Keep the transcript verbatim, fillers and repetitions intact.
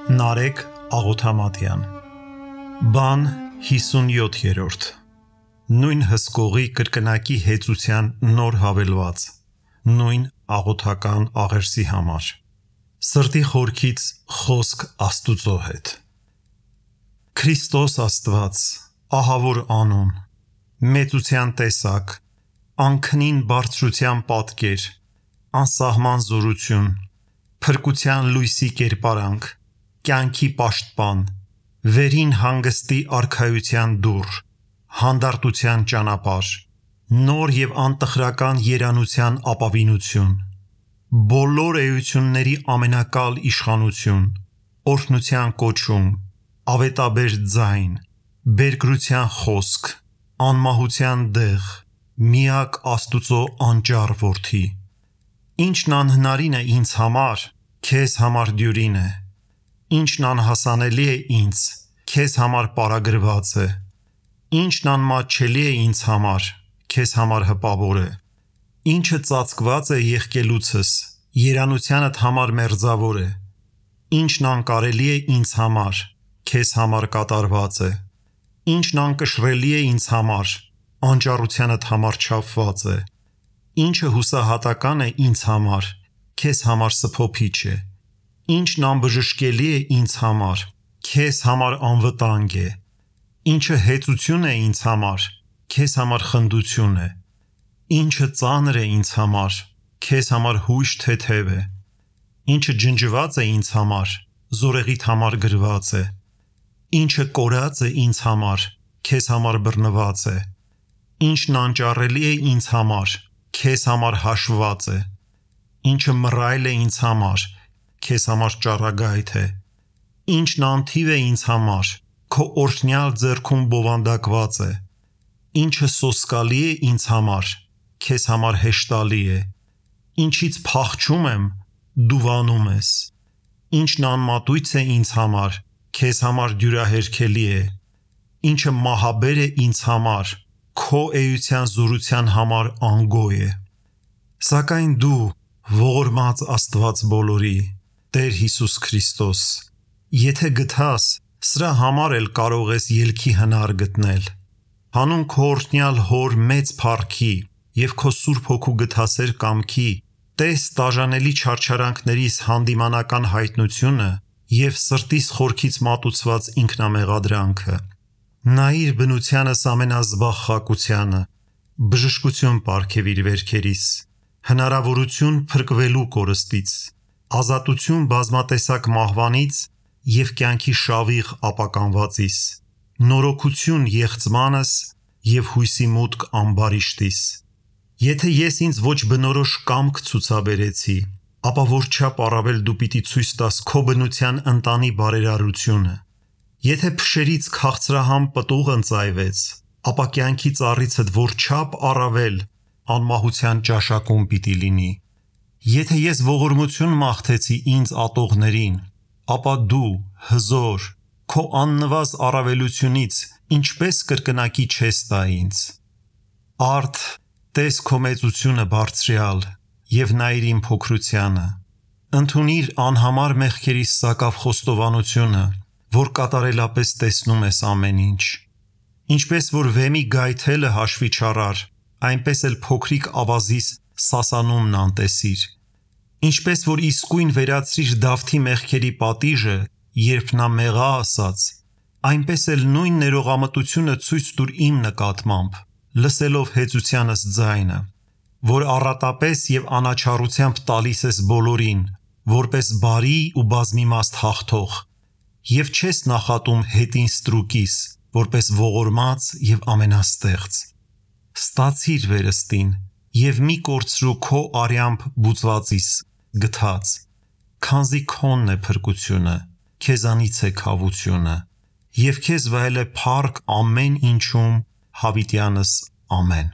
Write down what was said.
Նարեկ Աղոթամատյան Բան հիսունյոթերորդ Նույն հսկողի կրկնակի հեծության նոր հավելված Նույն աղոթական աղերսի համար Սրտի խորքից խոսք Աստուծո հետ Քրիստոս Աստված, ահավոր անուն, մեծության տեսակ, անքնին բարձրության պատկեր, անսահման զորություն, փրկության լույսի կերպարանք, կյանքի պաշտպան, վերին հանգստի արքայության դուռ, հանդարտության ճանապարհ, նոր և անտխրական երանության ապավինություն, բոլոր էությունների ամենակալ իշխանություն, օրհնության կոչում, ավետաբեր ձայն, բերկրության խոսք, անմահության դեղ, միակ Աստուծո անճառ որդի, ինչն անհնարին է ինձ համար, քեզ համար դյուրին է, ինչն անհասանելի է ինձ, քեզ համար պարագրված է, ինչն անմատչելի է ինձ համար, քեզ համար հպավոր է, ինչը ծածկված է եղկելուցս, երանությանդ համար մերձավոր է, ինչն անկարելի է ինձ համար, քեզ համար կատարված է, ինչն անկշռելի է ինձ համար, անճառությանդ համար չափված է, ինչը հուսահատական է ինձ համար, քեզ համար սփոփիչ է, ինչն անբժշկելի է ինձ համար, քեզ համար անվտանգ է, ինչը հեծություն է ինձ համար, քեզ համար խնդություն է, ինչը ծանր է ինձ համար, քեզ համար հույժ թեթև է, ինչը ջնջված է ինձ համար, զորեղիդ համար գրված է, ինչը կորած է ինձ համար, քեզ համար բռնված է, ինչն անճառելի է ինձ համար, քեզ համար հաշվված է, ինչը մռայլ է ինձ համար, քեզ համար ճառագայթ է, ինչն անթիվ է ինձ համար, քո օրհնյալ ձեռքում բովանդակված է, ինչը սոսկալի է ինձ համար, քեզ համար հեշտալի է, ինչից փախչում եմ, դու վանում ես, ինչն անմատույց է ինձ համար, քեզ համար դյուրահերքելի է, ինչը մահաբեր է ինձ համար, քո էության զորության համար անգոյ է, սակայն դու, ողորմած Աստված բոլորի, Տեր Հիսուս Քրիստոս, եթե գթաս, սրա համար էլ կարող ես ելքի հնար գտնել, հանուն քո օրհնյալ Հոր մեծ փառքի և քո Սուրբ Հոգու գթասեր կամքի, տես տաժանելի չարչարանքներիս հանդիմանական հայտնությունը և սրտիս խորքից մատուցված ինքնամեղադրանքը, նայիր բնությանս ամենազբաղ խակությանը, բժշկություն պարգև իր վերքերիս, հնարավորություն փրկվելու կորստից, ազատություն բազմատեսակ մահվանից և կյանքի շավիղ ապականվածիս, նորոգություն եղծմանս և հույսի մուտք ամբարիշտիս, եթե ես ինձ ոչ բնորոշ կամք ցուցաբերեցի, ապա որչափ առավել դու պիտի ցույց տաս քո բնության ընտանի բարերարությունը, եթե փշերից քաղցրահամ պտուղ ընծայվեց, ապա կյանքի ծառիցդ որչափ առավել անմահության ճաշակում պիտի լինի, եթե ես ողորմություն մաղթեցի ինձ ատողներին, ապա դու, հզոր, քո աննվազ առավելությունից ինչպես կրկնակի չես տա ինձ, արդ տես քո մեծությունը բարձրյալ և նայիր իմ փոքրությանը, ընդունիր անհամար մեղքերիս սակավ խոստովանությունը, որ կատարելապես տեսնում ես ամեն ինչ, ինչպես որ վեմի գայթելը հաշվի չառար, այնպես էլ փոքրիկ ավազիս սասանումն անտեսիր, ինչպես որ իսկույն վերացրիր Դավթի մեղքերի պատիժը, երբ նա մեղա ասաց, այնպես էլ նույն ներողամտությունը ցույց տուր իմ նկատմամբ, լսելով հեծությանս ձայնը, որ առատապես և անաչառությամբ տալիս ես բոլորին, որպես բարի ու բազմիմաստ հաղթող, և չես նախատում հետին ստրուկիս, որպես ողորմած և ամենաստեղծ, ստացիր վերստին և մի կորցրու քո արյամբ բուծվածիս գթած, քանզի քոնն է փրկությունը, քեզանից է քավությունը, և քեզ վայել է փառք ամեն ինչում հավիտյանս ամեն։